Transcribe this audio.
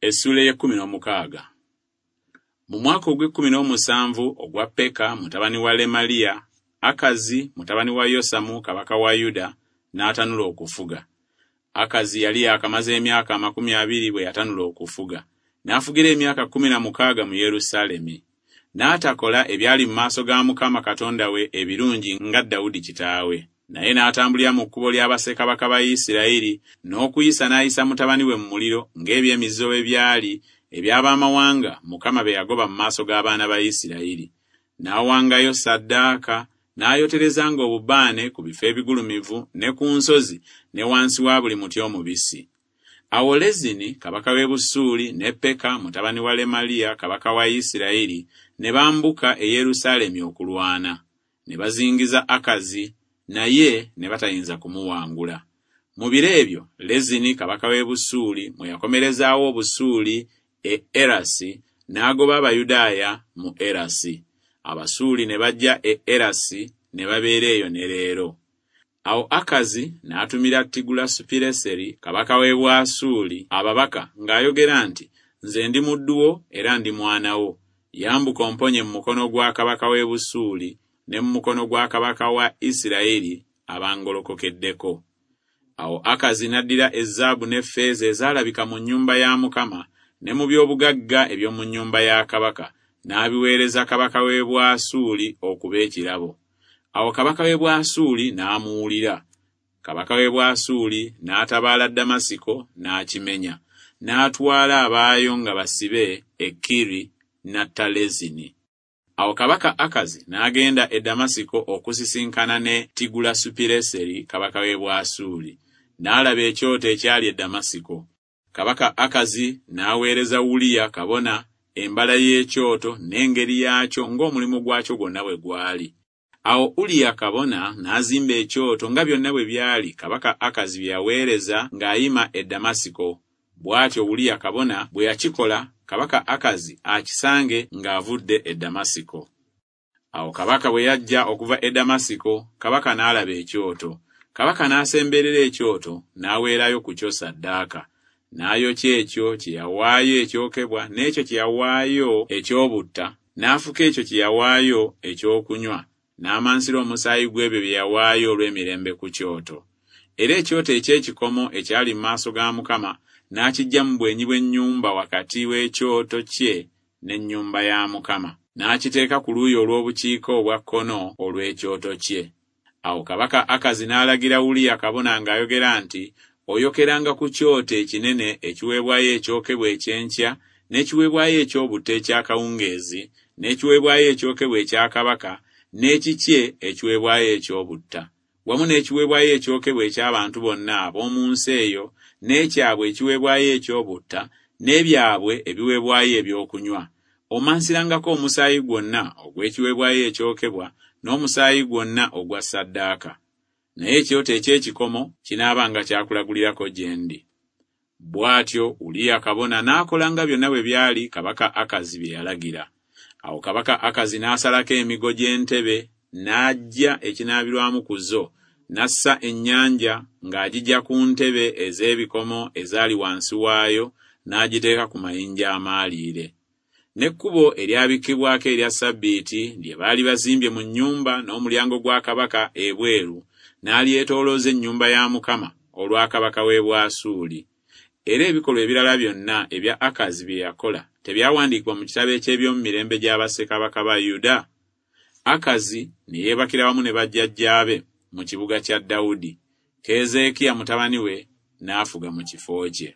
Essuula ey'ekkumi n'omukaaga. Mu mwaka ogw'ekkumi n'omusanvu ogwa Peka mutabani wa Lemaliya, Akazi mutabani wa Yosamu kabaka wa Yuda n'atanula okufuga. Akazi yali yaakamaze emyaka 20 bwe yatanula okufuga, n'afugira emyaka 16 mu Yerusaalemi. N'atakola ebyali mu maaso ga Mukama Katonda we ebirungi nga Dawudi kitaawe. Naye n'atambulira mu kkubo lya bassekabaka ba Isirayiri, n'okuyisa n'ayisa mutabani we mu muliro ng'eby'emizizo bwe byali eby'ab'amawanga Mukama be yagoba mu maaso g'abaana ba Isirayiri. N'awangayo ssaddaaka, n'ayoterezanga obubaane ku bifo ebigulumivu ne ku nsozi ne wansi wa buli muti omubisi. Awo Lezini kabaka w'e Busuuli ne Peka mutabani wa Lemaliya kabaka wa Isirayiri ne bambuka e Yerusaalemi okulwana. Ne bazingiza Akazi, naye ne batayinza kumuwangula. Mu biro ebyo Lezini kabaka w'e Busuuli mwe yakomerezaawo Obusuuli e Erasi, n'agoba Abayudaaya mu Erasi. Abasuuli ne bajja e Erasi ne babeera eyo ne leero. Awo Akazi n'atumira Tigulasupireseri kabaka w'e Bwasuuli ababaka ng'ayogera nti, Nze ndi muddu wo era ndi mwana wo. Yambuka omponye mu mukono gwa kabaka w'e Busuuli ne mu mukono gwa kabaka wa Isirayiri abangolokokeddeko. Awo Akazi n'addira ezaabu n'effeeza ezaalabika mu nnyumba ya Mukama ne mu by'obugagga eby'omu nnyumba ya kabaka, n'abiweereza kabaka w'e Bwasuuli okuba ekirabo. Awo kabaka w'e Bwasuuli n'amuwulira. Kabaka w'e Bwasuuli n'atabaala Ddamasiko n'akimenya, n'atwala abaayo nga basibe e Kiri n'atta Lezini. Awo kabaka Akazi n'agenda e Ddamasiko okusisinkana ne Tigulasupireseri kabaka w'e Bwasuuli, n'alaba ekyoto ekyali e Ddamasiko. Kabaka Akazi n'aweereza Uliya kabona embala y'ekyoto n'engeri yaakyo ng'omulimu gwakyo gwonna bwe gwali. Awo Uliya kabona n'azimba ekyoto nga byonna bwe byali kabaka Akazi bye yaweereza ng'ayima e Ddamasiko. Bw'atyo Uliya kabona bwe yakikola kabaka Akazi akisange ng'avudde e Ddamasiko. Awo kabaka bwe yajja okuva e Ddamasiko, kabaka n'alaba ekyoto. Kabaka n'asemberera ekyoto, n'aweerayo ku kyo ssaddaaka. N'ayokya ekyo kye yawaayo ekyokebwa n'ekyo kye yawaayo eky'obutta, n'afuka ekyo kye yawaayo ekyokunywa, n'amansira omusaayi gw'ebyo bye yawaayo olw'emirembe ku kyoto. Era ekyoto eky'ekikomo ekyali mu maaso ga Mukama n'akiggya mu bwenyi bw'ennyumba wakati w'ekyoto kye n'ennyumba ya Mukama, n'akiteeka ku luuyi olw'obukiika obwa kkono olw'ekyoto kye. Awo kabaka Akazi n'alagira Uliya kabona ng'ayogera nti, Oyokeranga ku kyoto ekinene ekiweebwayo ekyokebwa eky'enkya, n'ekiweebwayo eky'obutta eky'akawungeezi, n'ekiweebwayo ekyokebwa ekya kabaka, n'ekikye ekiweebwayo eky'obutta, wamu n'ekiweebwayo ekyokebwa eky'abantu bonna ab'omu nsi eyo, n'ekyabwe ekiweebwayo eky'obutta, n'ebyabwe ebiweebwayo eby'okunywa. Omansirangako omusaayi gwonna ogw'ekiweebwayo ekyokebwa n'omusaayi gwonna ogwa ssaddaaka. Naye ekyoto eky'ekikomo kinaabanga kya kulagulirako gye ndi. Bw'atyo Uliya kabona n'akola nga byonna bwe byali kabaka Akazi bye yalagira. Awo kabaka Akazi n'asalako emigo gy'entebe n'aggya ekinaabirwamu ku zo, n'assa ennyanja ng'agiggya ku ntebe ez'ebikomo ezaali wansi waayo n'agiteeka ku mayinja amaaliire. N'ekkubo eryabikkibwako erya ssabbiiti lye baali bazimbye mu nnyumba n'omulyango gwa kabaka ebweru n'alyetoolooza ennyumba ya Mukama olwa kabaka w'e Bwasuuli. Era ebikolwa ebirala byonna ebya Akazi bye yakola tebyawandiikibwa mu kitabo eky'ebyomumirembe gya bassekabaka ba Yuda? Akazi ne yeebakira wamu ne bajjajjaabe mu kibuga kya Dawudi, Keezeekiya mutabani we n'afuga mu kifo kye.